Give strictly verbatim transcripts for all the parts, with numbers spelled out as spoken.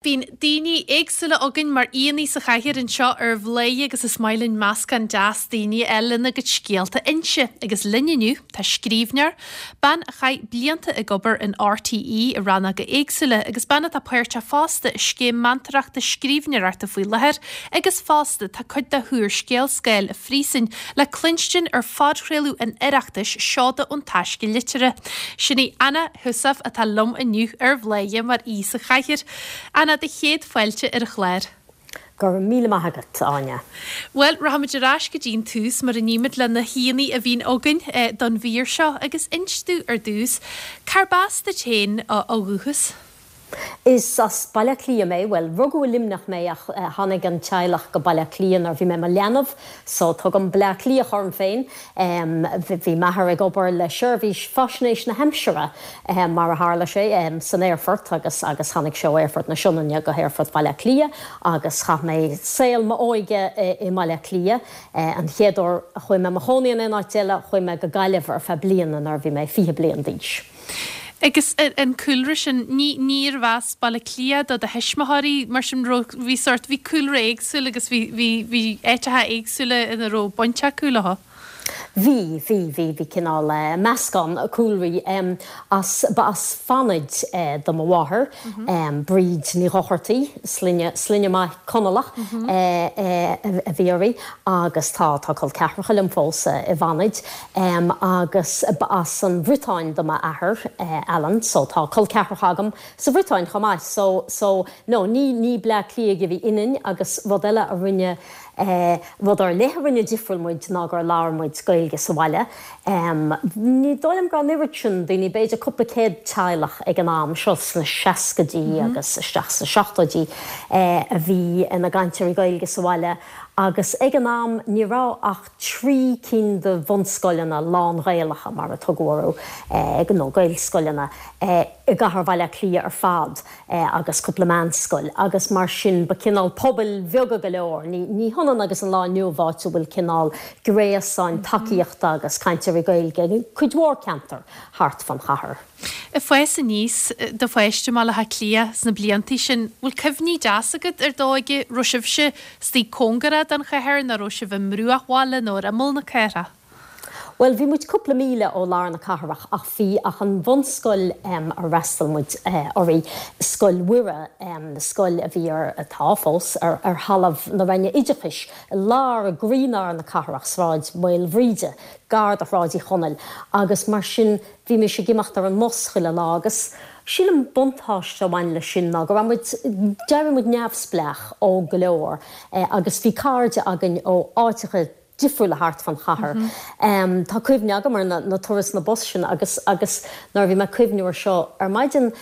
Bíonn daoine éagsúla againn mar aíonna sa chathaoir anseo ar Bhladhaire agus is maith linn meascán deas daoine eile lena gcuid scéalta a inse agus linn inniu tá scríbhneoir, bean a chaith blianta ag obair in RTÉ i rannóga éagsúla agus bean atá páirteach fosta i scéim meantóireachta scríbhneoireachta faoi láthair agus fosta tá cuid dá húrscéal Scáil an Phríosúin le cluinstin ar phodchraoladh an Oireachtais Seoda ón Taisce Liteartha. Sin í Anna Heussaff atá liom inniu ar Bhladhaire mar aoi sa chathaoir. Anna do chéad fáilte ar an chlár. Go raibh míle maith agat Áine. Well, rachaimid ar ais go dtí'n tús mar a nímid le na haíonna a bhíonn againn eh, don mhír seo agus inis dúinn ar dtús, cárb as duit féin ó dhúchas? Is as Baile Átha Cliath mé, well rugadh i Luimneach mé ach uh, tháinig an teaghlach go Baile Átha Cliath nuair bhí mé i mo leanbh, so tugaim Bleá Cliathach orm féin. Um, bhí m'athair ag obair le seirbhís faisnéis na haimsire um, mar a tharla sé um, san aerfort agus agus tháinig sé Aerfort na Sionainne go hAerfort Baile Átha Cliath agus chaith mé saol m'óige i mBaile Átha Cliath. Uh, an chéad uair a chuaigh mé i mo chónaí in aon áit eile chuaigh mé go Gaillimh ar feadh bliana nuair bhí mé fiche bliain d'aois. Agus an cúlra sin ní níorbh as Baile Átha Cliath do do thuismitheoirí mar sin bhí sort bhí cúlra éagsúil agus bhí bhí bhí áiteacha éagsúla ina raibh baint acu leo. Bhí bhí bhí bhí cineál uh, meascán cúlraí um, as ba as Fanaid uh, do mo mháthair mm -hmm. um, Bríd Ní Dhochartaí sloinne sloinne maith Conallach mm -hmm. uh, uh, a bhí uirthi agus tá tá col ceathracha liom fós uh, i bhFanaid um, agus ba as an Bhriotáin do m'athair uh, Alan, so tá col ceathracha agam sa Bhriotáin chomh maith so so no ní ní Bleá Cliathaigh a bhí ionainn agus rud eile a rinne eh, rud ar leith a rinne difriúil muid ná gur labhair muid Gaeilge sa bhaile. Um, ní dóigh liom go raibh sin daoine b'fhéidir cúpla céad teaghlach ag an am seo sna seascaidí mm -hmm. agus isteach sna seachtóidí eh, a bhí ina gcainteoirí Gaeilge sa bhaile agus ag an am ní raibh ach trí cinn de bhunscoileanna lán-Ghaelacha mar a tugadh orthu eh, nó Gaelscoileanna eh, i gcathair Bhaile Átha Cliath ar fad eh, agus cúpla meánscoil agus mar sin ba cineál pobail bheaga go leor ní, ní hionann agus an lá inniu áit a bhfuil cineál gréasáin tacaíochta agus cainteoirí Gaeilge cuid mhór ceantar thart fan chathair. Ag fás aníos do pháiste i mBaile Átha Cliath sna blianta sin, bhfuil cuimhní deasa agat ar d'óige raibh sibhse istigh cóngarach don chathair nó raibh sibh i mbruachbhaile nó ar imeall na cathrach. Well, bhí muid cúpla míle ó lár na cathrach ach bhí ach an bhunscoil um, ar fhreastail muid uh, uirthi Scoil Mhuire um, scoil a bhí ar atá fós ar, ar thalamh na Roinne Oideachais lár gcroílár na cathrach Sráid Mhaoilbhríde, gar do Shráid Uí Chonaill, agus mar sin bhí mé ag imeacht ar an mbus chuile lá agus sílim buntáiste amháin le sin ná go raibh muid d'éirigh muid neamhspleách ó go leor eh, agus bhí cairde againn ó áiteacha difriúla thart fan chathair. Mm -hmm. um, tá cuimhne agam ar na, na turas na bus sin agus agus nuair bhí mé cuimhneamh air seo ar maidin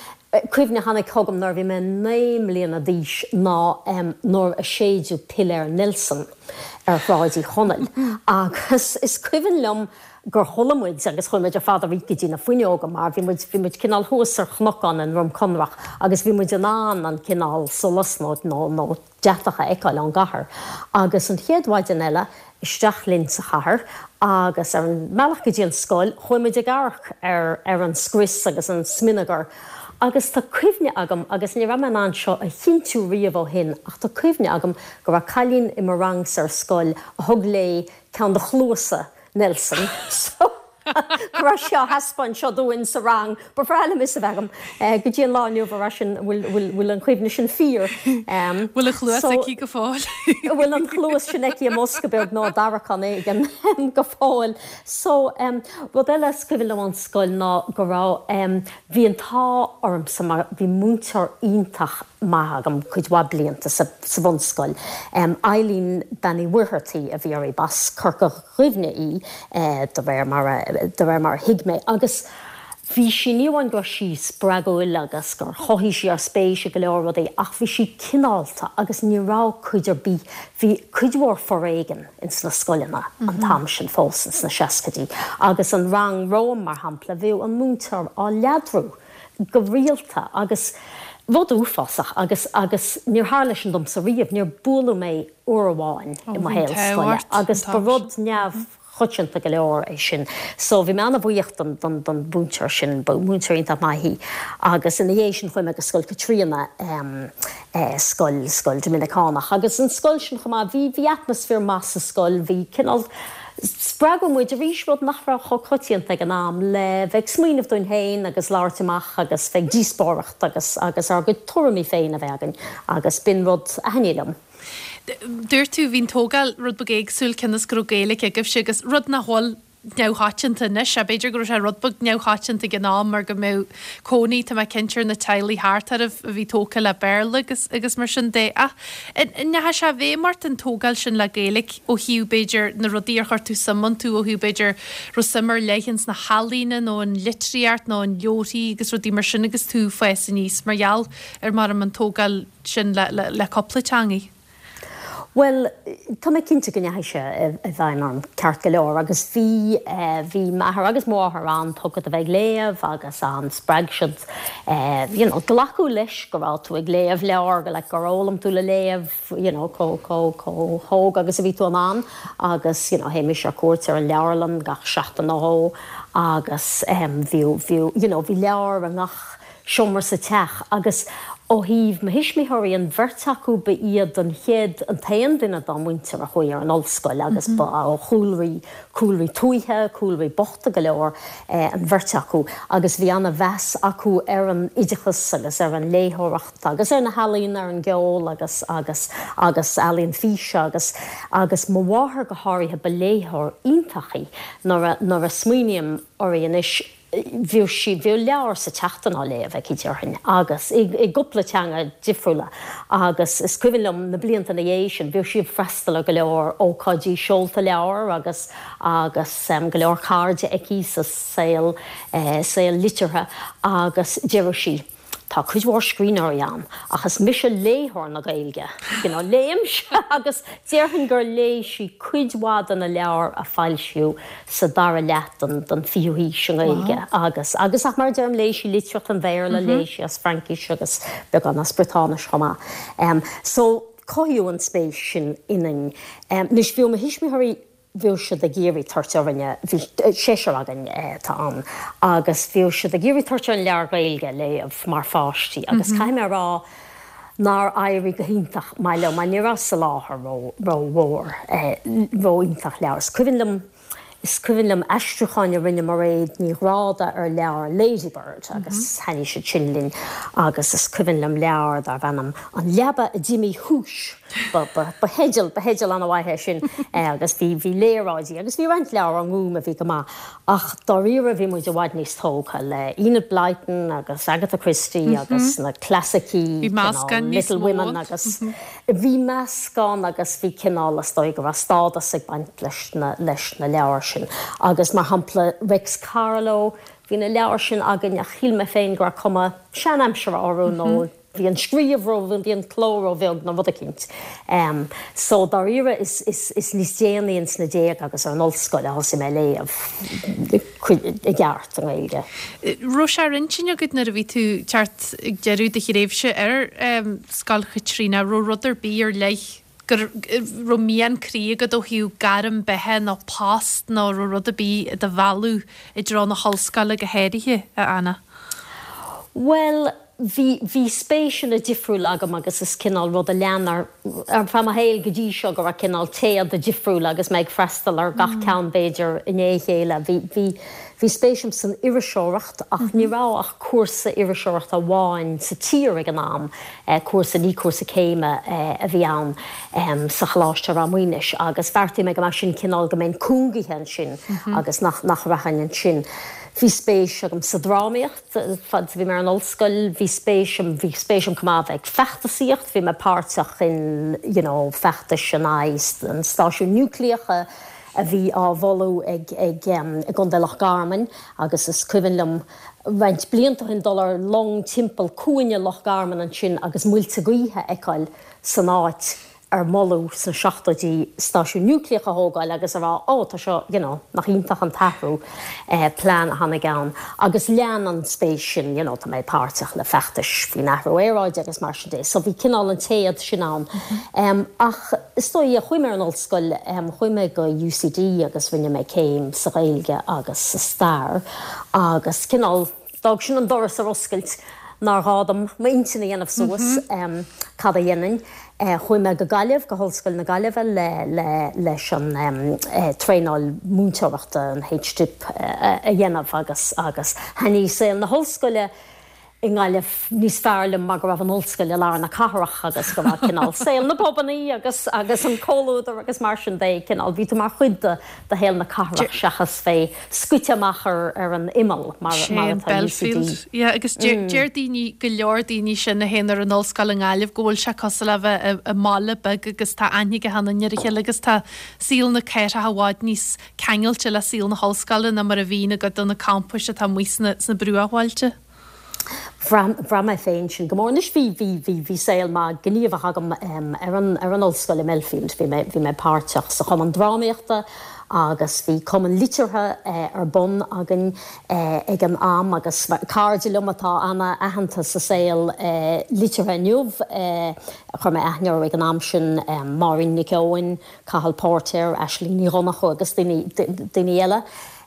cuimhne tháinig chugam nuair bhí mé naoi mbliana d'aois ná um, nuair a séideadh piléar Nelson ar Shráid Uí Chonaill. Mm -hmm. agus is cuimhin liom gur chuala muid agus chuaigh muid ar fad go dtí na fuinneoga mar bhí muid bhí muid cineál thuas ar chnocán i nDroim Conrach agus bhí muid in ann an cineál solas nó nó nó deatacha a fheiceáil ón gcathair. Agus an chéad mhaidin eile isteach linn sa chathair agus ar an mbealach go dtí an scoil chuaigh muid ag amharc ar ar an scrios agus an smionagar. Agus tá cuimhne agam agus ní raibh mé in ann seo a chinntiú riamh ó shin ach tá cuimhne agam go raibh cailín i mo rang ar scoil a thug léi ceann de chluasa Nelson. So go raibh sí á thaispeáint seo dúinn sa rang, ba bhreá liom a fhios a bheith agam go dtí an lá inniu ar sin bhfuil an chuimhne sin fíor. Bhfuil a chluas aici go fóill. Bhfuil an chluas sin aici i mbosca beag nó tarraiceán éigin go fóill. So um, rud eile is cuimhin liom ón scoil ná go raibh um, bhí an t-ádh ormsa mar bhí múinteoir iontach maith agam cuid mhaith blianta sa, sa bhunscoil. Um, Eileen Bean Uí Mhuircheartaigh a bhí uirthi b'as Corca Dhuibhne í eh, de réir mar de réir mar thuig mé agus bhí sí ní amháin go raibh sí spreagúil agus gur chothaigh sí ár spéis i go leor rudaí ach bhí sí cineálta agus ní raibh cuid ar bith bhí cuid mhór foréigean in sna scoileanna mm -hmm. an t-am sin fós sna seascaidí agus an rang romham mar shampla bhí an múinteoir á leadrú go rialta agus rud uafásach agus agus níor tharla sin domsa riamh níor buaileadh mé uair amháin i mo shaol scoile agus ba rud neamh Coitianta go leor é sin. So bhí mé an-bhuíoch don don don mhúinteoir sin, ba mhúinteoir iontach maith í. Agus ina dhiaidh sin chuaigh mé go Scoil Chaitríona um, eh, scoil scoil Doiminiceánach. Agus an scoil sin chomh maith bhí bhí atmaisféar maith sa scoil, bhí cineál spreagadh muid arís rud nach raibh chomh coitianta ag an am le bheith ag smaoineamh dúinn féin agus labhairt amach agus bheith ag díospóireacht agus agus ár gcuid tuairimí féin a bheith againn agus b'in rud a thaitnigh liom. Dúirt tú bhí an tógáil rud beag éagsúil cionn is go raibh Gaeilge agaibhse agus rud nach bhfuil neamhchoitianta anois, a b'fhéidir go raibh sé rud beag neamhchoitianta ag an am mar go mbeadh cónaí tá mé cinnte ar na teaghlaigh thart oraibh a bhí tógtha le Béarla agus agus mar sin de. Ach an ndeachaigh sé i bhfeidhm ort an tógáil sin le Gaeilge ó thaobh b'fhéidir na rudaí ar chuir tú suim iontu ó thaobh b'fhéidir raibh suim ar leith ins na healaíona nó an litríocht nó an leabharthaí agus rudaí mar sin agus tú ag fás aníos mar gheall ar mar an tógáil sin le, le, le cúpla teangaí. Well, tá mé cinnte go ndeachaigh sé i bhfeidhm orm ceart go leor agus bhí eh, bhí m'athair agus mo mháthair an-tógtha do bheith ag léamh agus an spreag siad eh, you know, glacadh leis go raibh tú ag léamh leabhar go le gur fhoghlaim tú le léamh you know, chomh chomh chomh hóg agus a bhí tú in ann agus you know, théimis ar cuairt ar an leabharlann gach seachtain nó dhó agus um, bhí bhí you know, bhí leabhar i ngach seomra sa teach agus ó thaobh mo thuismitheoirí an bheirt acu ba iad an chéad an t-aon duine dá muintir a chuaigh ar an ollscoil agus ba ó chúlraí cúlraí tuaithe, cúlraí bochta go leor eh, an bheirt acu agus bhí an-mheas acu ar an oideachas agus ar an léitheoireacht agus ar na healaíona ar an gceol agus agus agus ealaín físe agus agus mo mháthair go háirithe ba léitheoir iontach í nuair a nuair a smaoiním uirthi anois bhí sí bhí leabhar sa tseachtain á léamh aici déarfainn agus i i gcúpla teanga difriúla agus is cuimhin liom na blianta ina dhiaidh sin bhí sí ag freastal ar go leor ócáidí seolta leabhar agus agus um, go leor cairde aici sa saol eh, saol liteartha agus deireadh sí. Tá cuid mhór scríbhneoirí ann ach is mise léitheoir na Gaeilge. You know, léimse agus déarfainn gur léigh sí cuid mhaith de na leabhair a foilsíodh sa dara leath den den fichiú haois an Ghaeilge agus agus ach mar deirim léigh sí litríocht an Bhéarla mm -hmm. léigh sí as Fraincis agus beagán as Briotáinis chomh maith. Um, so cothaíodh an spéis sin ionainn. Um, Anois bhí mo thuismitheoirí bhí siad ag iarraidh tabhairt orainne bhí seisear againn tá ann agus bhí siad ag iarraidh tabhairt orainn leabhar Gaeilge léamh mar pháistí agus mm -hmm. caithfidh mé rá nár éirigh go hiontach maith leo mar ní raibh soláthar rómhór ró-iontach leabhar. Is cuimhin liom is cuimhin liom aistriúcháin a rinne Mairéad Ní Ghráda ar leabhar Ladybird agus thaitnigh siad sin linn agus is cuimhin liom leabhar darbh ainm an leaba a d'imigh thúis. Ba theideal ba theideal an-mhaith é sin agus bhí bhí léaráidí agus bhí roinnt leabhar an Ghúim a bhí go maith ach dáiríre bhí muid i bhfad níos tógtha le Enid Blyton agus Agatha Christie agus na clasaicí Little Women agus bhí meascán agus bhí cineál is dóigh go raibh stádas ag baint leis na leis na leabhair sin agus mar shampla Réics Carló bhí na leabhair sin againn ach shíl mé féin go raibh cuma seanaimseartha orthu nó bhí an scríobh ró bhí an cló róbheag nó rud eicínt. Um, so dáiríre is, is, is níos déanaí ins na déaga agus ar an ollscoil a thosaigh mé léamh i gceart an Ghaeilge. Raibh sé ar intinn agat nuair a bhí tú thart ag deireadh do thréimhse ar um, Scoil Chaitríona, raibh rud ar bith ar leith go raibh mian croí agat ó thaobh gairm beatha nó post nó raibh rud ar bith i do mhealladh i dtreo na hollscoile go háirithe a Anna? Well, bhí bhí spéiseanna difriúla agam agus is cineál rud a lean ar ar feadh mo shaoil go dtí seo go raibh cineál téada difriúla agus mé ag freastal ar gach ceann b'fhéidir i ndiaidh a chéile. Bhí bhí bhí spéis agam san iriseoireacht ach ní raibh ach cúrsa iriseoireachta amháin sa tír ag an am, eh, cúrsa ní cúrsa céime eh, a bhí ann um, sa Choláiste Ráth Maonais agus bheartaigh mé go mbeadh sin cineál go mbeinn cúngaithe ansin agus nach nach rachainn ansin. Bhí spéis agam sa drámaíocht fad bhí mé ar an ollscoil, bhí spéis bhí spéis agam chomh maith bheith ag feachtasaíocht, bhí mé páirteach in you know, feachtais in aghaidh an stáisiún núicléach a bhí á mholadh ag ag um, i gContae Loch Garman agus is cuimhin liom roinnt blianta ó shin dul ar long timpeall cuan Loch Garman ansin agus muilte gaoithe a fheiceáil san áit ar moladh sna seachtóidí stáisiún núicléach a thógáil agus a rá ó tá seo you know, nach iontach an t-athrú eh, plean a tháinig ann agus lean an spéis sin you know, tá mé páirteach le feachtais faoin athrú aeráide agus mar sin de. So bhí cineál an téad sin ann. Mm -hmm. um, ach is dóigh chuaigh mé ar an ollscoil um, chuaigh mé go UCD agus rinne mé céim sa Ghaeilge agus sa stair agus cineál d'fhág sin an doras ar oscailt nár ghá dom m'intinn a dhéanamh suas mm -hmm. um, cad a dhéanfainn. Uh, chuaigh mé go Gaillimh go hOllscoil na Gaillimhe le, le, leis an um, uh, traenáil múinteoireachta an HDip uh, a dhéanamh agus agus thaitnigh saol na hollscoile i nGaillimh níos fearr liom mar go raibh an ollscoil i lár na cathrach agus go raibh cineál saol na bpubannaí agus agus an comhluadar agus mar sin de cineál bhí tú mar chuid de de shaol na cathrach seachas bheith scoite amach ar ar an imeall mar mar atá Belfield. Yeah, agus mm. deir daoine go leor daoine sin a théann ar an ollscoil i nGaillimh go bhfuil sé cosúil le bheith i mbaile beag agus tá aithne ag achan duine ar a chéile agus tá saol na cathrach i bhfad níos ceangailte le saol na hollscoile ná mar a bhíonn i gcuid de na campais atá amuigh sna sna bruachbhailte. Bhraith mé féin sin go mór anois bhí bhí bhí bhí saol maith gníomhach agam um, ar an ar an ollscoil i Belfield bhí mé bhí mé páirteach sa chumann drámaíochta agus bhí cumann liteartha eh, ar bun againn eh, ag an am agus cairde liom atá an-aitheanta sa saol eh, liteartha inniu eh, chuir mé aithne ag an am sin eh, Máirín Nic Eoin, Cathal Póirtéir, Aisling Ní Dhonnchú agus daoine daoine eile.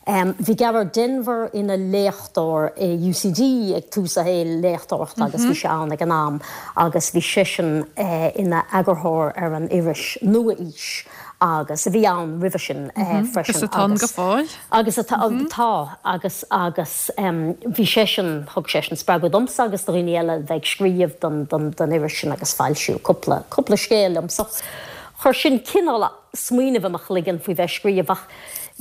Um, bhí Gearóid Denvir ina léachtóir i UCD ag tús a shaol léachtóireachta agus bhí sé ann ag an am agus bhí seisean eh, ina eagarthóir ar an iris Nua-Aois agus a bhí ann roimhe sin eh, freisin Agus atá go fóill. Agus atá tá agus agus um, bhí seisean thug seisean spreagadh domsa agus do dhaoine eile bheith ag scríobh don, don, don iris sin agus foilsíodh cúpla cúpla scéal liom so chuir sin cineál smaoineamh i mo chloigeann faoi bheith scríobh ach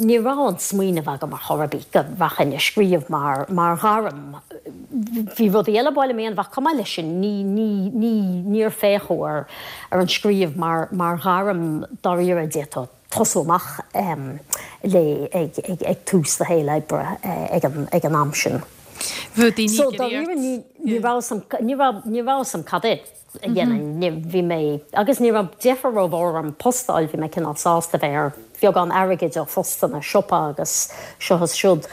ní raibh an smaoineamh agam ar chor ar bith go rachainn ag scríobh mar mar ghairm. Bhí rudaí eile báile mé an bheith cuma leis sin ní ní ní níor féachadh ar ar an scríobh mar mar ghairm dáiríre d'fhéadfá tosú amach um, le ag, ag, ag tús do shaol oibre uh, ag an, ag an am sin. Bhí daoine So ag dáiríre iarraidh ní ní raibh ní raibh ní raibh am cad é a dhéanamh bhí mé agus ní raibh deifir rómhór orm post a fháil bhí mé cineál sásta bheith ar bheagán airgid ó phostanna siopa agus seo is siúd.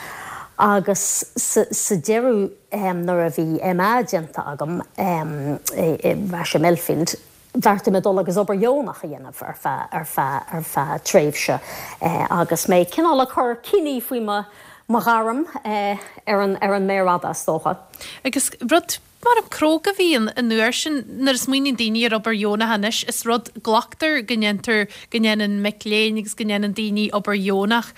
Agus sa, sa deireadh um, nuair a bhí MA déanta agam um, i, i Rasha Melfield, bheartaigh mé dul agus obair dheonach a dhéanamh ar feadh ar feadh ar feadh tréimhse eh, agus mé cineál ag cur cinní faoi mo mo ghairm eh, ar an ar an méar fhada is dócha. Agus rud mar an cróga bhí an an uair sin nuair a smaoiníonn daoine ar obair dheonach anois is rud glactar go ndéantar go ndéanann mic léinn agus go ndéanann daoine obair dheonach.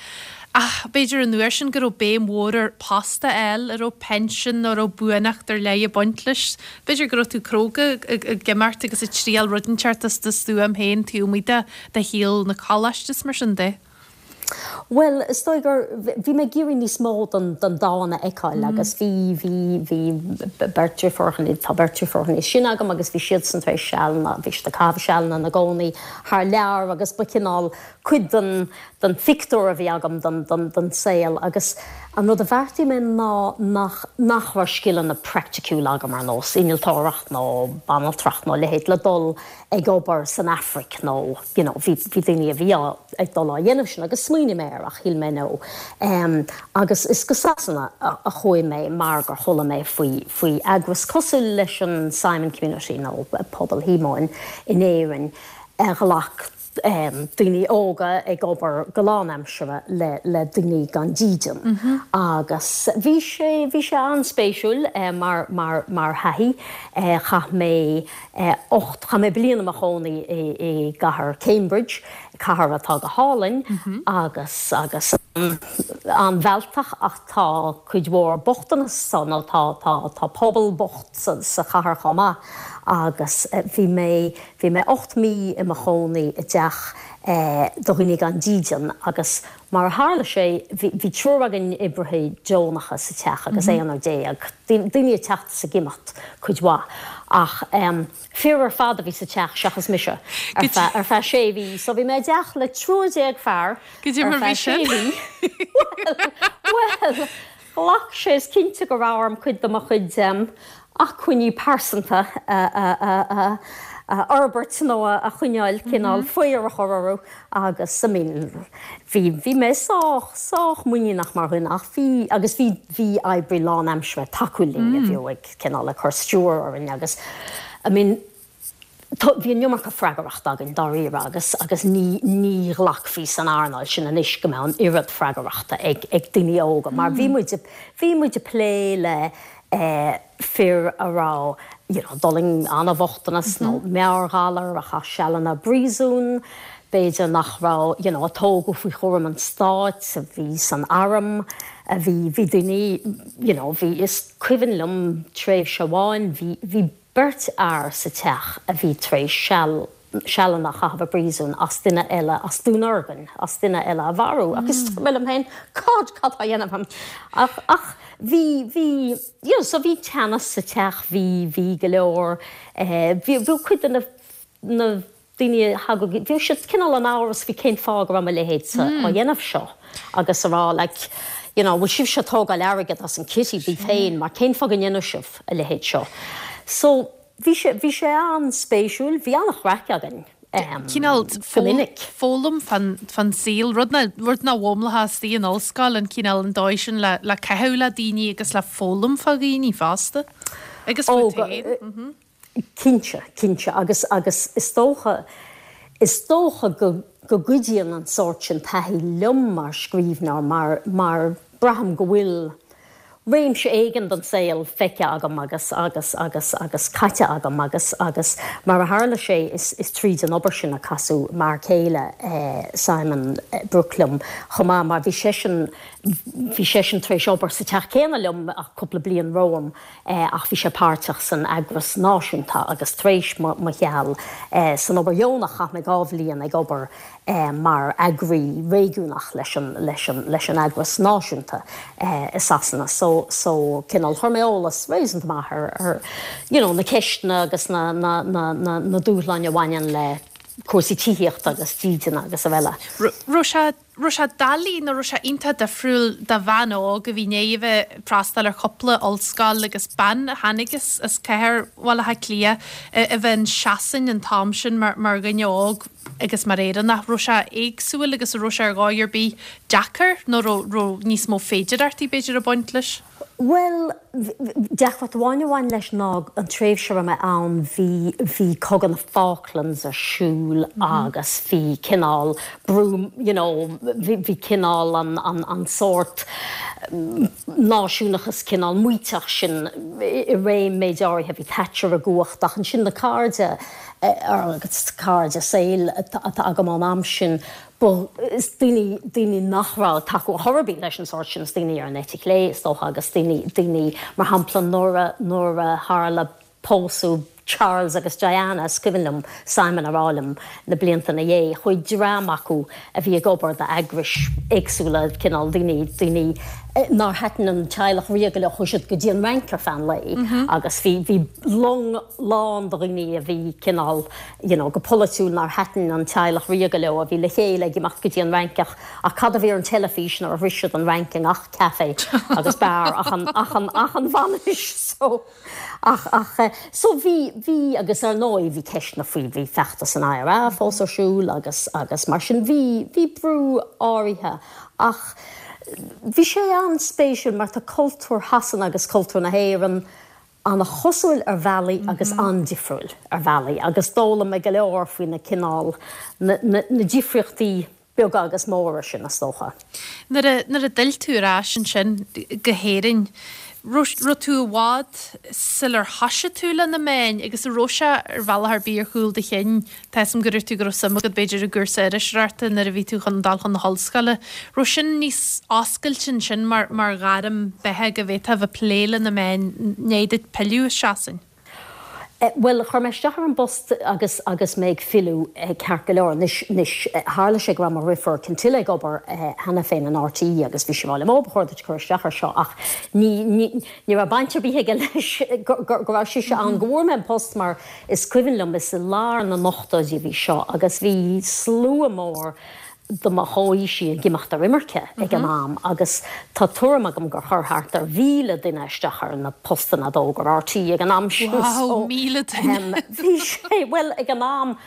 Ach b'fhéidir an uair sin go raibh béim mhór ar post a fháil a raibh pension nó raibh buanacht ar leith ag baint leis. B'fhéidir go raibh tú cróga ag imeacht agus ag triail rud inteacht as do stuaim féin taobh amuigh de de shaol na coláiste mar sin de. Well, is dóigh gur bhí mé ag iarraidh níos mó den den domhan a fheiceáil agus bhí bhí bhí beirt deirfiúracha tá beirt deirfiúracha níos sine agam agus bhí siad san tar éis sealanna bhí siad ag caitheamh sealanna ina gcónaí thar lear agus ba cineál cuid den den phictiúr a bhí agam den den den saol agus an rud a bheartaigh mé ná nach nach raibh scileanna praiticiúla agam ar nós innealtóireacht nó banaltracht nó leithéid le dul ag obair san Afraic nó you know, bhí bhí daoine a bhí ag dul á dhéanamh sin agus smaoinigh mé air ach shíl mé nó. Um, agus is go Sasana a, a chuaigh mé mar gur chuala mé faoi faoi eagras cosúil leis an Simon Community nó pobal Shíomóin in Éirinn a ghlac um, daoine óga ag obair go lánaimseartha le, le daoine gan dídean. Mm -hmm. Agus bhí sé bhí sé an-spéisiúil eh, mar, mar, mar thaithí eh, chaith mé eh, ocht chaith mé bliain i mo chónaí i, i gcathair Cambridge, cathair atá go hálainn mm -hmm. agus agus an-mhealltach ach tá cuid mhór bochtanas nó tá tá tá pobal bocht sa, sa chathair chomh maith agus eh, bhí mé bhí mé ocht mí i mo chónaí i dteach eh, do dhaoine gan dídean agus mar a tharla sé bhí triúr againn oibrithe deonacha sa teach agus mm -hmm. aonar déag daoine ag teacht is ag imeacht cuid mhaith ach um, fir ar fad a bhí sa teach seachas mise ar feadh sé mhí, so bhí mé i dteach le triúr déag fear ar feadh sé mhí. Well, ghlac sé is cinnte go raibh orm cuid de mo chuid um, acmhainní pearsanta a, a, a, a, a fhorbairt nó a choinneáil cineál faobhar a chur orthu agus I mean bhí bhí mé sách sách muiníneach mar dhuine ach bhí agus bhí bhí oibrí lánaimseartha ag tacú linn a bhí ag cineál ag cur stiúir orainn agus I mean bhí an iomarca freagrachta againn dáiríre agus agus ní ní ghlacfaí san earnáil sin anois go mbeadh an oiread freagrachta ag ag daoine óga mar bhí muid bhí muid ag plé le eh, fir a raibh you know, d'fhulaing an-bhochtanas nó meabhairghalar a chaith sealanna i bpríosún, b'fhéidir nach raibh you know, a tógadh faoi chúram an stáit a bhí san arm a bhí bhí daoine you know, bhí is cuimhin liom tréimhse amháin bhí bhí beirt fhear sa teach a bhí tar éis seal sealanna a chaitheamh i bpríosún as duine eile as dúnorgain as duine eile a mharú agus mé liom féin cad cad á dhéanamh ach ach bhí bhí you know, so bhí teannas sa teach bhí bhí go leor eh, bhí bhí cuid de na na daoine thagadh bhí siad cineál in amhras faoi cén fáth go raibh mo leithéid á dhéanamh seo agus a rá like you know, bhfuil sibh ag tógáil airgead as an kitty daoibh féin mar cén fáth go ndéanann sibh a leithéid seo. So bhí sé bhí sé an-spéisiúil, bhí an-chraic againn. Um, Cineál go minic. foghlaim fan fan saol rud na rud nach bhfoghlaimeofá istigh in ollscoil an cineál an dóigh sin le le caitheamh le daoine agus le foghlaim fá dhaoine fosta. Agus Ó, fút go- féin. Cinnte, cinnte agus agus is dócha is dócha go go gcuidíonn an sórt sin taithí liom mar scríbhneoir mar mar braithim go bhfuil réimse éigin den saol feicthe agam agus agus agus agus caite agam agus agus mar a tharla sé is, is tríd an obair sin a casadh mar chéile eh, Simon eh, Brooke liom chomh maith mar bhí seisean bhí seisean tar éis obair sa teach céanna liom ach cúpla bliain romham eh, ach bhí sé páirteach san eagras náisiúnta agus tar éis mo mo sheal eh, san obair dheonach chaith mé dhá bhliain ag obair eh, mar eagraí réigiúnach leis an, leis an, leis an eagras náisiúnta eh, i Sasana. So, so cineál chuir mé eolas réasúnta maith ar, ar you know, na ceisteanna agus na, na, na, na, na dúshláin a bhaineann le cúrsaí tithíochta agus dídine agus araile. Raibh sé raibh sé doiligh nó raibh sé iontach difriúil do bhean óg a bhí i ndiaidh a bheith ag freastal ar chúpla ollscoil agus bean a tháinig as as cathair Bhaile Átha Cliath a bheith in Sasain an t-am sin mar mar dhuine óg agus mar Éireannach raibh sé éagsúil agus raibh sé ar dhóigh ar bith deacair nó raibh níos mó féidearthachtaí b'fhéidir ag baint leis? Well, deacracht amháin a bhain leis ná an tréimhse a raibh mé ann bhí bhí cogadh na Falklands ar siúl agus bhí cineál brú you know, bhí bhí cineál an, an, an sórt náisiúnachas cineál maíteach sin i réim méid áirithe bhí Thatcher i gcumhacht ach ansin na cairde agus cairde saoil atá agam ón am sin Ba is daoine daoine nach raibh tacú chor ar bith leis an sórt sin is daoine ar an eite chlé is dócha agus daoine daoine mar shampla nuair a nuair a tharla pósadh Charles agus Diana is cuimhin liom Simon a rá liom na blianta ina dhiaidh chuaigh dream acu a bhí ag obair d'eagrais éagsúla cineál daoine daoine nár thaitin an teaghlach ríoga leo chuaigh siad go dtí an Fhrainc ar feadh an lae agus bhí bhí long lán de dhaoine a bhí cineál you know, go polaitiúil nár thaitin an teaghlach ríoga leo a bhí le chéile ag imeacht go dtí an Fhrainc ach ach cad a bhí ar an teilifís nuair a shroich siad an Fhrainc i ngach café agus beár ach an ach an ach an bhainis so ach ach so bhí bhí agus ar ndóigh bhí ceisteanna faoi bhí feachtas an IRA fós ar siúl agus agus mar sin bhí bhí brú áirithe ach bhí sé an-spéisiúil mar tá cultúr Shasana agus cultúr na hÉireann an-chosúil ar bhealaí agus an-difriúil ar bhealaí agus d'fhoghlaim mé go leor faoi na cineál na, na, na difríochtaí beaga agus móra sin is dócha. Nuair a nuair a d'fhill tú ar ais ansin go hÉirinn, raibh tú i bhfad sular thosaigh tú le na meáin agus a raibh sé ar bhealach ar bith ar chúl do chinn Tá am go tú go raibh suim agat b'fhéidir i gcúrsa iriseoireachta nuair a bhí tú chun dul chun na hollscoile. Raibh sin níos oscailte ansin mar mar ghairm beatha go bhféadfá bheith plé le na meáin i ndiaidh duit pilleadh as Sasain. Eh, well chuir mé isteach ar an bpost agus agus mé ag filleadh eh, ceart go leor anois anois eh, tharla sé go raibh mo dheirfiúr Cintile ag obair cheana féin in RTÉ agus bhí sí ag rá liom ó ba chóir duit cur isteach ar seo ach ní ní ní raibh baint ar bith aige leis go go raibh sí an go bhfuair mé an post mar is cuimhin liom is i lár na n-ochtóidí a bhí seo agus bhí slua mór do mo chomhaoisigh ag imeacht ar imirce ag an am agus tá tuairim agam gur chuir thart ar mhíle duine isteach ar na postanna a d'fhógair RTÉ ag an am sin. Wow, míle duine! Bhí sé, bhuel, ag an am,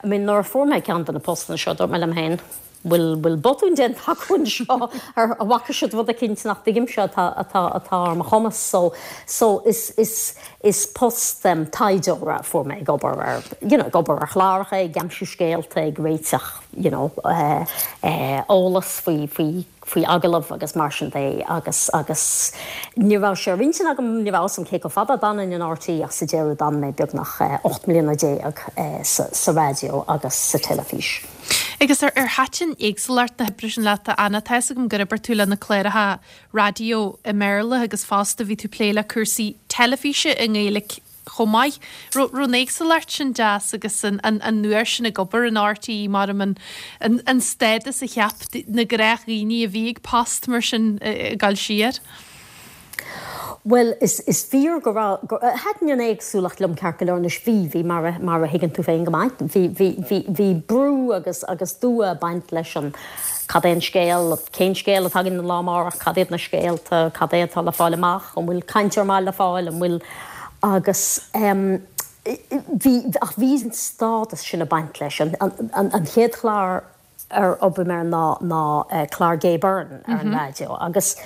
I mean, nuair a fuair mé ceann de na postanna seo, dúirt mé liom féin, bhfuil bhfuil botún déanta acu anseo ar an bhfaca siad rud eicínt nach dtuigimse atá atá atá ar mo chumas so so is is is post um, taighdeora a fuair mé ag obair ar you know, ag obair ar chláracha, ag aimsiú scéalta, ag réiteach you know, uh, uh, eolas faoi faoi faoi agallamh agus mar sin de agus agus ní raibh sé ar intinn agam ní raibh a fhios agam cé chomh fada a d'fhanfainn in RTÉ ach sa deireadh d'fhan mé beagnach ocht mbliana déag sa sa raidió agus sa teilifís. Agus ar ar thaitin éagsúlacht na hoibre sin leat a Anna, tá fhios agam gur oibir tú le na cláracha raidió i mBéarla agus fosta bhí tú ag plé le cúrsaí teilifíse i nGaeilge chomh maith. Raibh an éagsúlacht sin deas agus an an uair sin ag obair in RTÉ mar an an stádas a cheap na gnáthdhaoine a bhí ag post mar sin ag dul siar? Well is is fíor go raibh thaitin an éagsúlacht liom ceart go leor anois bhí bhí mar a mar a thuigeann tú féin go maith bhí bhí bhí bhí brú agus agus dua ag baint leis an cad é an scéal cén scéal atá againn an lá amárach cad iad na scéalta cad é atá le fáil amach an bhfuil cainteoir maith le fáil an bhfuil agus um, bhí ach bhí an stádas sin ag baint leis an an an an chéad chlár ar oibrigh mé air ná ná uh, clár Gay Byrne ar an mm -hmm. raidió agus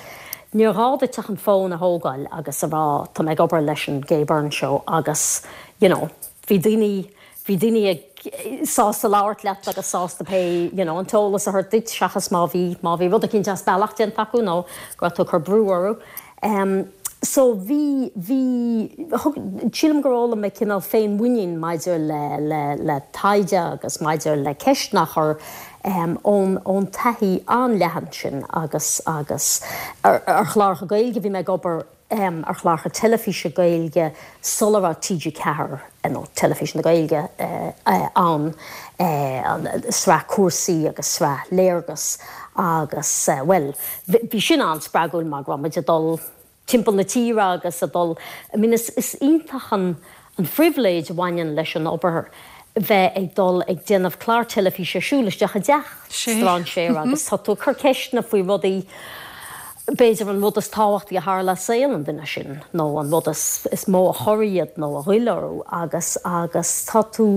níor ghá duit ach an fón a thógáil agus a rá tá mé ag obair leis an Gay Byrne show agus you know, bhí daoine bhí daoine ag sásta labhairt leat agus sásta pé you know, an t-eolas a thabhairt duit seachas má bhí má bhí rud eicínt as bealach déanta acu nó go raibh tú ag cur brú orthu. Um, so bhí bhí sílim gur fhoghlaim mé cineál féinmhuinín maidir le le le taighde agus maidir le ceisteanna a chur um, ón ón taithí an-leathan sin agus agus ar, ar chláracha Gaeilge bhí mé ag obair um, ar chláracha teilifíse Gaeilge sula raibh TG Ceathair nó teilifís na Gaeilge uh, uh, ann uh, sraith cúrsaí agus sraith léargas agus uh, well bhí sin an-spreagúil mar go raibh muid ag dul timpeall na tíre agus ag dul I mean, is, is iontach an, an phribhléid a bhaineann leis an obair bheith ag dul ag déanamh clár teilifíse siúl isteach i dteach strainséara agus tá tú ag cur ceisteanna faoi rudaí b'fhéidir an rud is tábhachtaí a tharla i saol an duine sin nó an rud is, is mó a chorraigh iad nó a ghoill orthu agus agus tá tú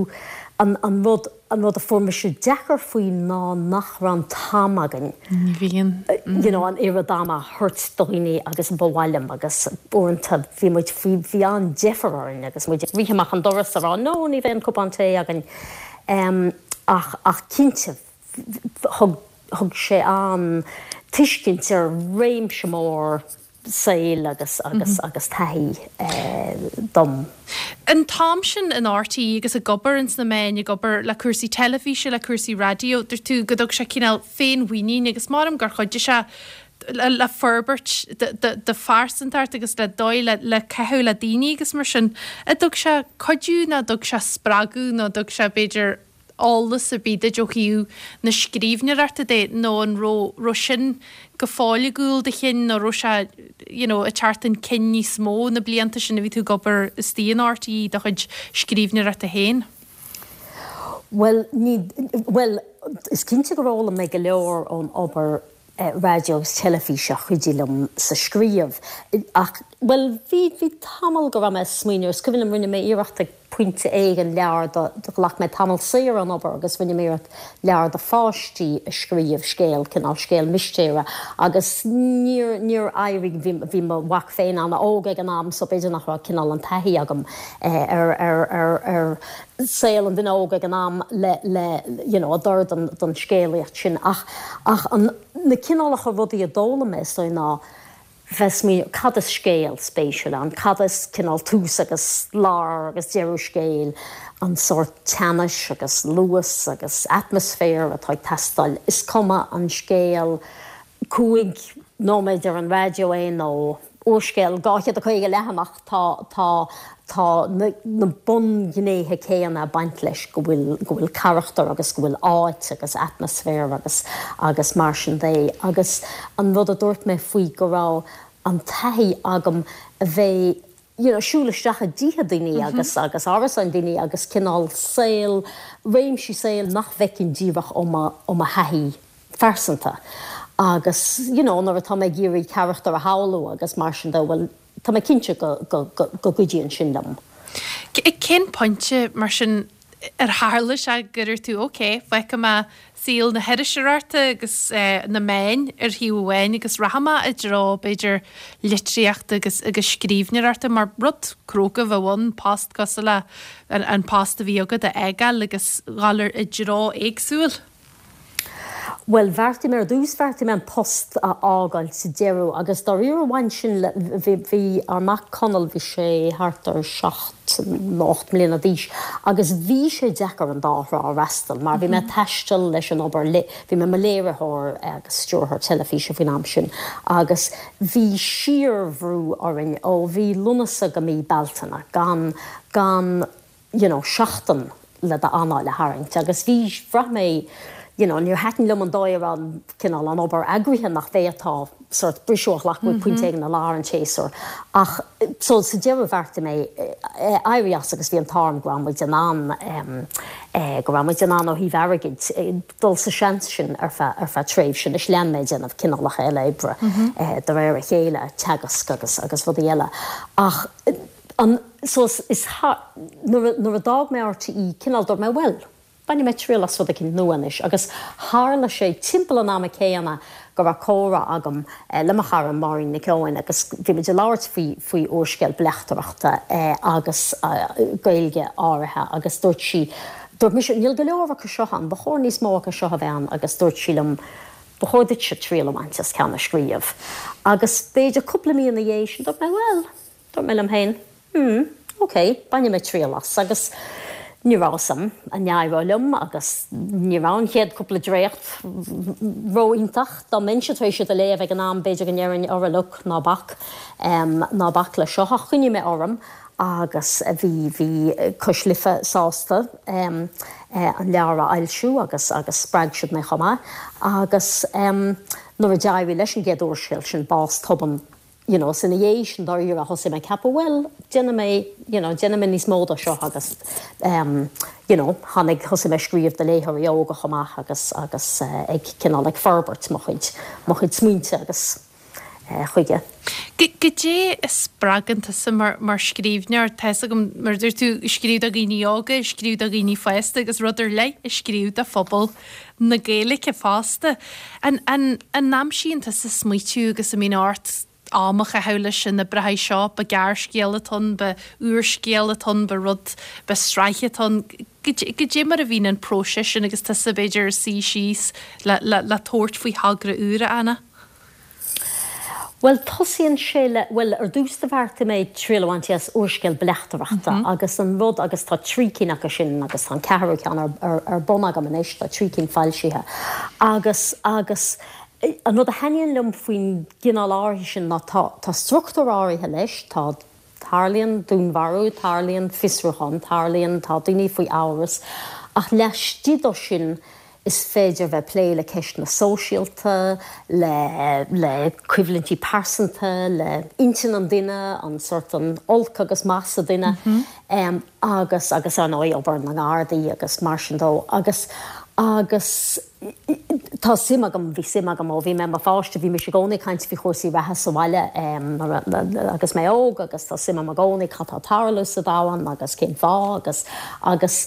an, an rud an rud a fuair mise deacair faoi ná nach raibh an t-am againn. Ní bhíonn. You know, an oiread ama a thabhairt do dhaoine agus ba mhaith liom agus uaireanta bhí muid bhí bhí an-deifir orainn agus muid ag rith amach an doras a rá no ní bheidh an cupán tae againn. Um, ach ach cinnte thug thug sé an tuiscint ar réimse mór saoil agus agus agus taithí eh, dom. An t-am sin in RTÉ agus ag obair ins na meáin ag obair le cúrsaí teilifíse le cúrsaí raidió, dúirt tú go dtug sé cineál féinmhuinín agus maram gur chuidigh sé le, le forbairt do phearsantacht agus le dóigh le, le caitheamh le daoine agus mar sin. A dtug sé cuidiú nó dtug sé spreagadh nó dtug sé b'fhéidir eolas ar bith duit ó thaobh na scríbhneoireachta de nó an raibh raibh sin go fóill i gcúl do chinn nó raibh sé you know, ag teacht chun cinn níos mó na blianta sin a bhí tú ag obair istigh in RTÉ do chuid scríbhneoireachta féin? Well, ní, well, is cinnte gur fhoghlaim mé go leor ón obair eh, raidió agus teilifíse a chuidigh liom sa scríobh. Ach well, bhí bhí tamall go raibh mé ag smaoineamh, is cuimhin liom rinne mé iarracht ag pointe éigin leabhar do do ghlac mé tamall saor ón obair agus rinne mé iarracht leabhar do pháistí a scríobh scéal cineál scéal mistéire agus níor níor éirigh bhí bhí mo mhac féin an-óg ag an am so b'fhéidir nach raibh cineál an taithí agam eh, ar ar ar ar saol an duine óg ag an am le le you know, a d'oir don don scéalaíocht sin ach ach an na cineálacha rudaí a d'fhoghlaim mé so ná bheith ag smaoineamh cad is scéal spéisiúil ann, cad is cineál tús agus lár agus deireadh scéil, an sórt teannais agus luas agus atmaisféar atá ag teastáil. Is cuma an scéal cúig nóiméad ar an raidió é nó úrscéal dhá chéad a caoga leathanach, tá tá tá na na bunghnéithe céanna ag baint leis, go bhfuil go bhfuil carachtar agus go bhfuil áit agus atmaisféar agus agus mar sin de. Agus an rud a dúirt mé faoi go raibh an taithí agam a bheith you know, siúl isteach i dtithe daoine agus agus árasáin daoine agus cineál saol, réimsí saoil nach bhfeicfinn díreach ó mo ó mo thaithí phearsanta agus you know nuair atá mé ag iarraidh carachtar a shamhlú agus mar sin de bhuel tá mé cinnte go go go go gcuidíonn sin liom. Cén pointe mar sin ar tharla sé go raibh tú ok, fágfaidh mé saol na hiriseoireachta agus na meáin ar thaobh amháin agus rachaidh mé i dtreo b'fhéidir litríochta agus agus scríbhneoireachta mar rud cróga a bheadh ann post cosúil le an post a bhí agat a fhágáil agus dhul i dtreo éagsúil. Bhuel, bheartaigh mé ar dtús, bheartaigh mé an post a fhágáil sa deireadh agus dáiríre bhain sin le, bhí, bhí ár mac Conall, bhí sé thart ar seacht nó ocht mbliana d'aois agus bhí sé deacair an dá thrá a fhreastal mar bhí mé ag taisteal leis an obair, bhí mé i mo léiritheoir agus stiúrthóir teilifíse faoin am sin agus bhí síorbhrú orainn ó mhí Lúnasa go mí Bealtaine gan, gan, you know, seachtain le d'anáil a tharraingt agus bhí, bhraith mé, you know, níor thaitin liom an dóigh a raibh an cineál an obair eagraithe nach bhféadfá sort briseadh a ghlacadh ag pointe éigin i lár an tséasúir. Ach so sa deireadh bheartaigh mé éirí as agus bhí an t-ádh orm go raibh muid in ann go raibh muid in ann ó thaobh airgid dul sa seans sin ar feadh ar feadh tréimhse. Anois lean mé ag déanamh cineálacha eile oibre de réir a chéile, teagasc agus agus rudaí eile. Ach an so is nuair a nuair a d'fhág mé RTÉ cineál dúirt mé bhuel, bainfidh mé triail as rud eicínt nua anois agus tharla sé timpeall an ama céanna go raibh comhrá agam le mo chara Máirín Nic Eoin agus bhí muid ag labhairt faoi faoi úrscéal bleachtaireachta agus Gaeilge áirithe agus dúirt sí, dúirt mise, níl go leor acu seo ann, ba chóir níos mó acu seo a bheith ann agus dúirt sí liom, ba chóir duitse triail a bhaint as ceann a scríobh. Agus b'fhéidir cúpla mí ina dhiaidh sin dúirt mé, bhuel, dúirt mé liom féin, hmm, ok, bainfidh mé triail as. Agus ní raibh a fhios agam an n-éireodh liom agus ní raibh an chéad cúpla dréacht ró-iontach. Dá mbeinnse tar éis iad a léamh ag an am b'fhéidir go ndéarfainn, ara look, ná bac, ná bac leis seo. Ach choinnigh mé orm agus bhí, bhí Cois Life sásta an leabhar a fhoilsiú agus, agus spreag siad mé chomh maith. Agus nuair a d'éirigh leis an gcéad úrscéal sin, Bás Tobann, you know, is ina dhiaidh sin dáiríre thosaigh mé ag ceapadh, bhuel, déanfaidh mé, you know, déanfaidh mé níos mó de seo agus em, you know, tháinig, thosaigh mé ag scríobh do léitheoirí óga chomh maith agus, agus eh, ag cineál ag forbairt mo chuid, mo chuid smaointe agus eh, chuige. Goidé a spreagann tusa mar, mar scríbhneoir? Tá fhios agam, mar a dúirt tú, scríobh do dhaoine óga, scríobh do dhaoine fásta agus rud ar leith a scríobh do phobal na Gaeilge fosta. An, an, an aimsíonn tusa smaoitiú agus an mbíonn ort am a chaitheamh leis an oibreacha seo, ba gearrscéal atá ann, ba úrscéal atá ann, ba rud, ba sraith atá ann. Goidé mar a bhíonn an próiseas sin agus tusa b'fhéidir ag suí síos le, le, le tabhairt faoi thogra úr, a Anna? Bhuel, tosaíonn sé le, bhuel, ar dtús do bheartaigh mé triail a bhaint as úrscéal bleachtaireachta agus an rud, agus tá trí cinn acu sin agus tá an ceathrú ceann ar, ar, ar bun agam anois, tá trí cinn foilsithe. Agus, agus An rud a thaitníonn liom faoin gcineál áirithe sin ná tá tá struchtúr áirithe leis, tá, tarlaíonn dúnmharú, tarlaíonn fiosrúchán, tarlaíonn, tá daoine faoi amhras, ach laistigh de sin is féidir bheith ag plé le ceisteanna sóisialta, le le coimhlintí pearsanta, le intinn an duine, an sórt an olc agus maith sa duine agus agus ar ndóigh obair na nGardaí agus mar sin dó agus agus tá suim agam, bhí suim agam ó bhí mé i mo pháiste, bhí mise i gcónaí ag caint faoi chúrsaí reatha sa bhaile agus mé óg agus tá suim agam i gcónaí cad tá ag tarlú sa domhan agus cén fáth agus agus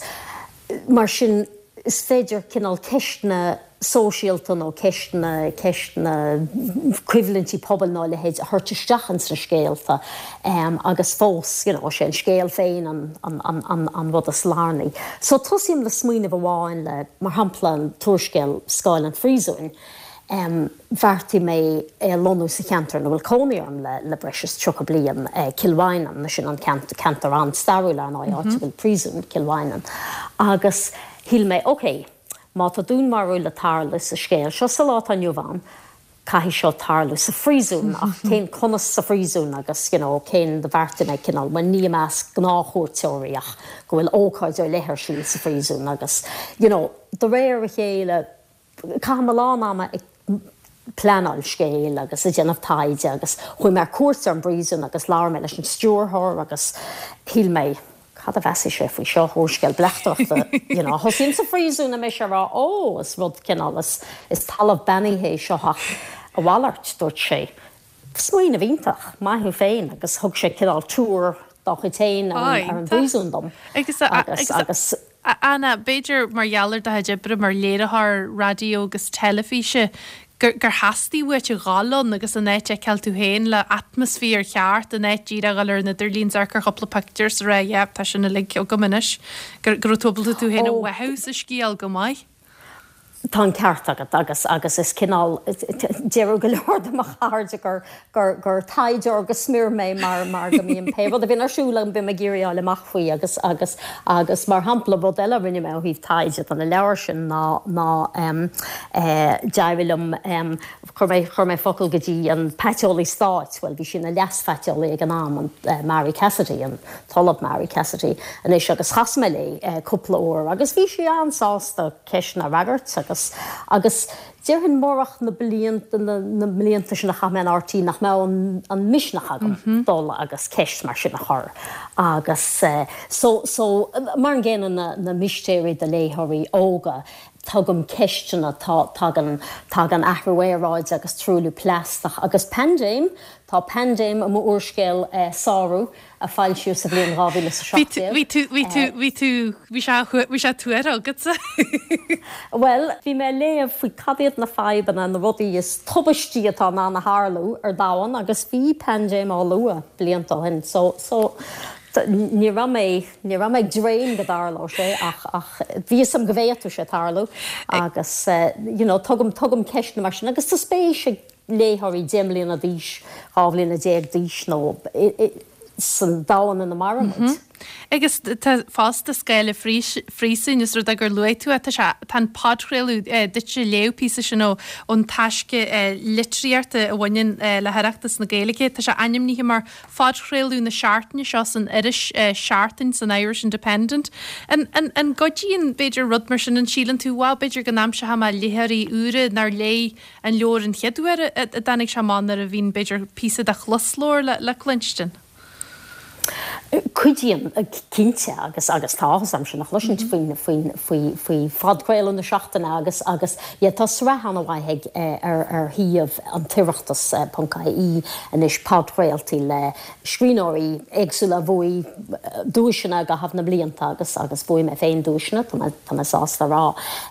mar sin is féidir cineál ceisteanna sóisialta nó ceisteanna, ceisteanna coimhlintí pobail nó a leithéid a thabhairt isteach ins na scéalta agus fós you know sé an scéal féin an, an, an, an, an rud is lárnaí. So tosaím le smaoineamh amháin le, mar shampla an t-úrscéal Scáil an Phríosúin, bheartaigh mé é a lonnú sa cheantar ina bhfuil cónaí orm le, le breis is tríocha bliain, Cill Mhaighneann, sin an ceantar an-stairiúil ar ndóigh, áit a bhfuil príosún Cill Mhaighneann. Agus shíl mé, ok, má tá dúnmharú le tarlú sa scéal seo sa lá atá inniu ann, caithfidh seo tarlú sa phríosún, ach cén, conas sa phríosún agus you know cén, do bheartaigh mé cineál, bhuel ní i measc gnáthchuairteoirí ach go bhfuil ócáid ar leith ar siúl sa phríosún agus you know de réir a chéile caithim a lán ama ag pleanáil scéil agus ag déanamh taighde agus chuaigh mé ar cuairt ar an bpríosún agus labhair mé leis an stiúrthóir agus shíl mé, cad a mheasfaidh sé faoi seo úrscéal bleachtaireachta you know thosaíonn sa phríosún a mbeidh sé ag rá ó is rud cineál is is talamh beannaithe é seo ach a mhalairt dúirt sé smaoineamh iontach maith thú féin agus thug sé cineál tour dá chuid féin ar an bpríosún dom. Agus agus agus Anna, b'fhéidir mar gheall ar do chuid oibre mar léiritheoir raidió agus teilifíse gur gur theastaigh uait a dhul ann agus an áit a fheiceáil tú féin le atmaisféar cheart an áit díreach a dhul ar an idirlíon is amharc ar chúpla pictiúr is a rá yeah tá sin uilig agam anois gur gur raibh tú ábalta tú féin a mhothú sa scéal go maith. Tá an ceart agat agus agus is cineál deir go leor de mo chairde gur gur gur taighdeoir go smior mé mar mar go mbím pé rud a bhíonn ar siúl agam bím ag iarraidh fháil amach faoi agus agus agus mar shampla rud eile a rinne mé ó thaobh taighde do na leabhair sin ná ná um, eh, d'éirigh liom um, chuir mé chuir mé focal go dtí an paiteolaí stáit, well bhí sí ina leas-phaiteolaí ag an am an uh, Mary Cassidy an tOllamh Mary Cassidy anois agus chas mé léi uh, cúpla uair agus bhí sí an-sásta ceisteanna a fhreagairt agus agus déarfainn murach na blianta na, na blianta sin a chaith mé in RTÉ nach mbeadh an, an misneach agam mm -hmm. dul agus ceist mar sin a chur. Agus uh, so, so, mar an gcéanna na, na mistéirí do léitheoirí óga, tugaim ceisteanna tagann tagann athrú aeráide agus truailliú plaisteach agus paindéim tá paindéim i m'úrscéal eh, sárú a foilsíodh sa bhliain dhá mhíle is a seacht déag. Bhí tú bhí tú bhí tú bhí sé bhí sé tuartha agatsa. Well, bhí mé ag léamh faoi cad iad na fadhbanna na rudaí is tubaistí atá in ann a tharlú ar domhan agus bhí paindéim á lua blianta ó shin so so ní raibh mé ní raibh mé ag dréim go dtarlódh sé ach ach bhí a fhios agam go bhféadfadh sé tarlú agus uh, you know, tugaim tugaim ceisteanna mar sin agus tá spéis ag léitheoirí deich mbliana d'aois dhá bhliana déag d'aois nó san domhan ina mairimid. Mm -hmm. Agus tá fosta Scáil an Phríosúin is rud gur luaigh tú tá sé tá an podchraoladh duitse léamh píosa sin ó ón taisce litríochta a bhaineann le hOireachtas na Gaeilge. Tá sé ainmnithe mar phodchraoladh na seachtaine seo san iris Seachtain san Irish Independent. An, an, an gcuidíonn b'fhéidir rud mar sin an síleann tú wow b'fhéidir go n-aimseoidh mé léitheoirí úra nár léigh an leabhar an chéad uair a dtáinig sé amach nuair a bhíonn b'fhéidir píosa de chlosleabhar le, le cluinstin. Cuidíonn cinnte agus agus tá am sin a chloisint faoin faoin faoi faoi phodchraoladh na seachtaine agus agus yeah, tá sraith an-mhaith ar ar shuíomh an tOireachtas ponc ie anois podchraoltaí le scríbhneoirí éagsúla a bhuaigh duaiseanna i gcaitheamh na mblianta agus agus bhuaigh mé féin duaiseanna tá mé sásta rá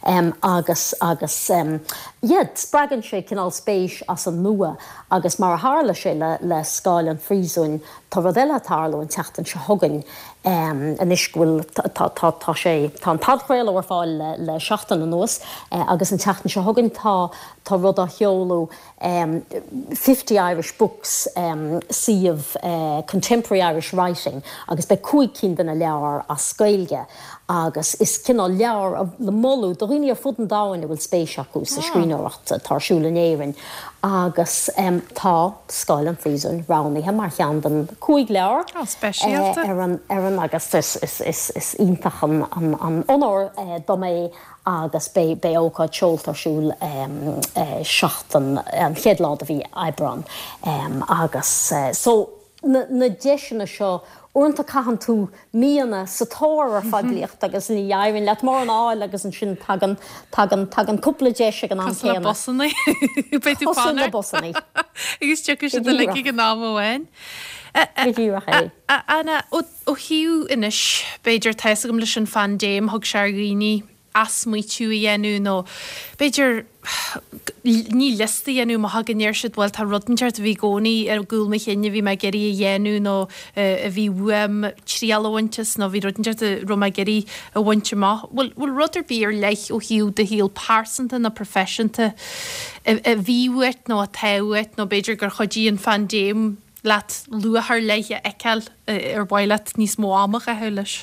um, agus agus um, yeah, spreagann sé cineál spéis as an nua agus mar a tharla sé le le Scáil an Phríosúin tá rud eile ag tarlú an tseachtain seo chugainn um, anois go bhfuil tá sé tá an podchraoladh ar fáil le, le seachtain anuas uh, agus an tseachtain seo chugainn tá tá rud á sheoladh um, fifty Irish Books um, suíomh uh, Contemporary Irish Writing agus beidh cúig cinn de na leabhair as Gaeilge agus is cineál leabhar le moladh do dhaoine ar fud an domhain a bhfuil spéis acu sa ah. scríbhneoireacht atá ar siúl in Éirinn agus um, tá Scáil an Phríosúin roghnaithe mar cheann den cúig leabhar oh, speisialta. uh, ar an ar an agus is, is, is, is iontach an, an, an onóir uh, dom é agus beidh beidh ócáid seolta ar siúl um, uh, seachtain an chéad lá de mhí Aibreán um, agus uh, so na, na deiseanna seo uaireanta caitheann tú míonna sa tóir ar phoiblíocht agus ní éiríonn leat mórán a fháil agus ansin tagann tagann tagann cúpla deis ag an am céanna. Busanna Cosúil le busanna. Agus tiocfaidh siad uilig ag an am amháin. Go díreach é. Anna ó thaobh anois b'fhéidir tá a fhios agam leis an phaindéim thug sé ar dhaoine athsmaoitiú a dhéanamh nó b'fhéidir ní liosta a dhéanamh má thagann ar siad bhuel tá rud inteacht a bhí i gcónaí ar gcúl mo chinn a bhí mé ag iarraidh a dhéanamh nó a bhí uaim triail a bhaint as nó bhí rud inteacht a raibh mé ag iarraidh a bhaint amach. Bhfuil bhfuil rud ar bith ar leith ó thaobh do shaol pearsanta nó proifisiúnta a bhí uait nó atá uait nó b'fhéidir gur chuidigh an phaindéim leat luach ar leith a fheiceáil ar mhaith leat níos mó ama a chaitheamh leis?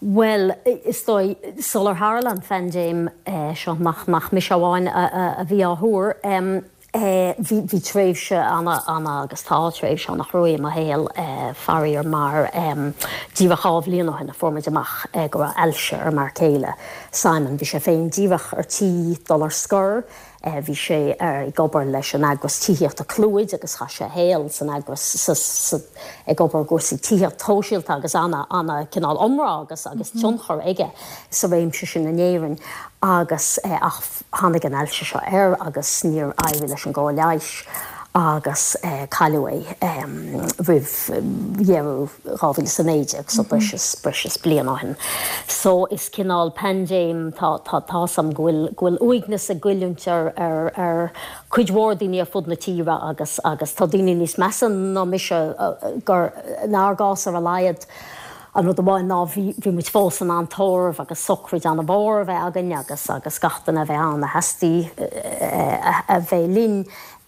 Well, is dóigh sular tharla an phaindéim eh, seo nach nach mise amháin a bhí á thuar, eh, bhí bhí tréimhse ana ana agus tá tréimhse an-chrua i mo shaol eh, faraor mar díreach dhá bhliain ó shin a fuair muid amach go raibh ailse ar m'fhear céile. Simon bhí sé féin díreach ar tí dul ar scor, Bhí sé ag obair leis an eagras tithíochta Clúid agus chaith sé a shaol san eagras ag obair i gcúrsaí tithíochta shóisialta agus ana ana cineál iomrá agus agus tionchar aige sa réimse sin in Éirinn agus ach tháinig an ailse seo air agus níor éirigh leis an gcóir leighis agus cailleadh é roimh dheireadh dhá mhíle is a naoi déag, so breis is breis is bliain ó shin. So is cineál paindéim, tá tá tá's a'm go bhfuil go bhfuil uaigneas ag goilliúint ar ar ar cuid mhór daoine ar fud na tíre agus agus tá daoine níos measa ná mise gur inár gcás ar a laghad An rud amháin ná bhí bhí muid fós in ann tórramh agus sochraid an-mhór a bheith againn agus agus gach duine a bheith ann a theastaigh a bheith linn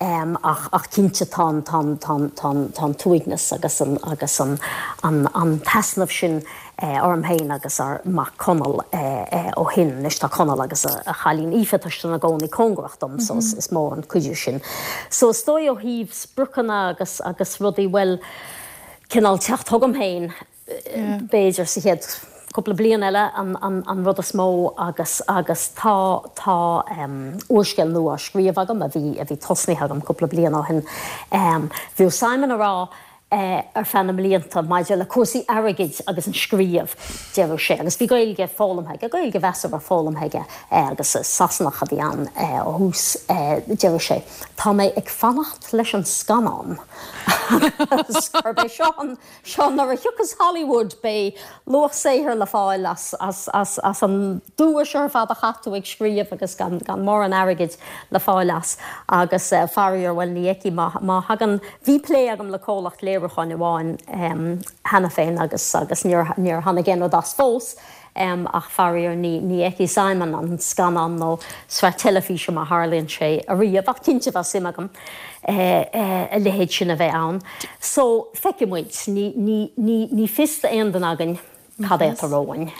ach ach cinnte tá an tá an tá an tá an tá an t-uaigneas agus an agus an an an t-easnamh sin orm féin agus ar mac Conall ó shin. Anois tá Conall agus a a chailín Aoife tá siad ina gcónaí cóngarach dom so is is mór an cuidiú sin. So is dóigh ó thaobh spriocanna agus agus rudaí bhuel cineál teacht chugam féin b'fhéidir sa chéad cúpla bliain eile an rud is mó agus agus tá tá úrscéal nua á scríobh agam a bhí a bhí tosnaithe agam cúpla bliain ó shin. Bhíodh Simon ag rá ar feadh na mblianta maidir le cúrsaí airgid agus an scríobh, deireadh sé, agus bhí Gaeilge foghlamtha aige, Gaeilge mheasartha foghlamtha aige agus Sasanach a bhí ann ó thús, deireadh sé, tá mé ag fanacht leis an scannán agus gurb é seo an seo nuair a thiocfas Hollywood beidh luach saothair le fáil as as as as an dua seo ar fad a chaith tú ag scríobh agus gan gan mórán airgid le fáil as agus faraor bhuel ní fheicfidh má má thagann bhí plé agam le comhlacht léiriúcháin amháin cheana féin agus agus níor níor tháinig aon rud as fós. Ach faraor ní ní fheicfidh Simon an scannán nó sraith teilifíse má tharlaíonn sé ariamh, ach cinnte bheadh suim agam a leithéid sin a bheith ann. So, feicfidh muid. Ní ní ní ní fios d'aon duine againn cad é atá romhainn,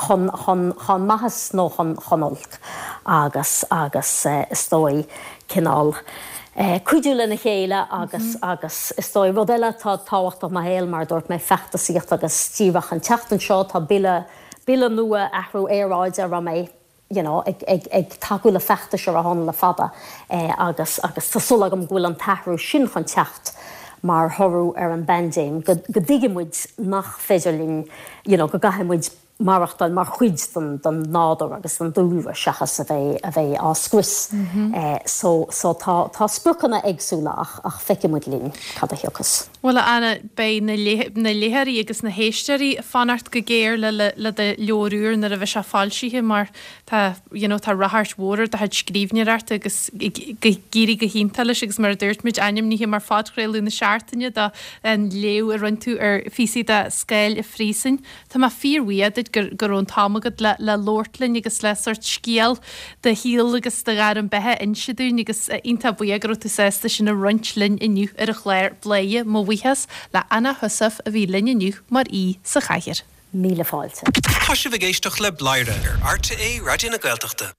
chun chun chun maitheas nó chun chun oilc agus agus is dóigh cineál cuidiú lena chéile agus agus is dóigh rud eile atá tábhachtach i mo shaol mar a dúirt mé feachtasaíocht agus díreach an tseachtain seo tá bille bille nua athrú aeráide a raibh mé you know ag ag ag tacú le feachtais ar a shon le fada agus agus tá súil agam go bhfuil an t-athrú sin chun teacht mar thoradh ar an bpaindéim go go dtuigfidh muid nach féidir linn you know go gcaithfidh muid maireachtáil mar chuid den den nádúr agus den dúlra seachas a bheith a bheith á scrios. So so tá tá spriocanna éagsúla ach ach feicfidh muid linn cad a thiocfas. Bhuel a Anna, beidh na na léitheoirí agus na héisteoirí ag fanacht go géar le le le do leabhar úr nuair a bheidh sé foilsithe mar tá you know tá ráchairt mhór ar do chuid scríbhneoireachta agus ag éirí go hiontach leis agus mar a dúirt muid ainmnithe mar phodchraoladh na seachtaine do an léamh a rinne tú ar phíosaí de Scáil an Phríosúin. Tá mé fíorbhuíoch duit gur go raibh an t-am agat le le labhairt linn agus le sórt scéal do shaoil agus do ghairm beatha a inse dúinn agus iontach buíoch go raibh tú sásta sin a roinnt linn inniu ar an chlár Bladhaire. Mo bhuíochas le Anna Heussaff a bhí linn inniu mar aoi sa chathaoir. Míle fáilte. Tá sibh ag éisteacht le Bladhaire ar RTÉ Raidió na Gaeltachta.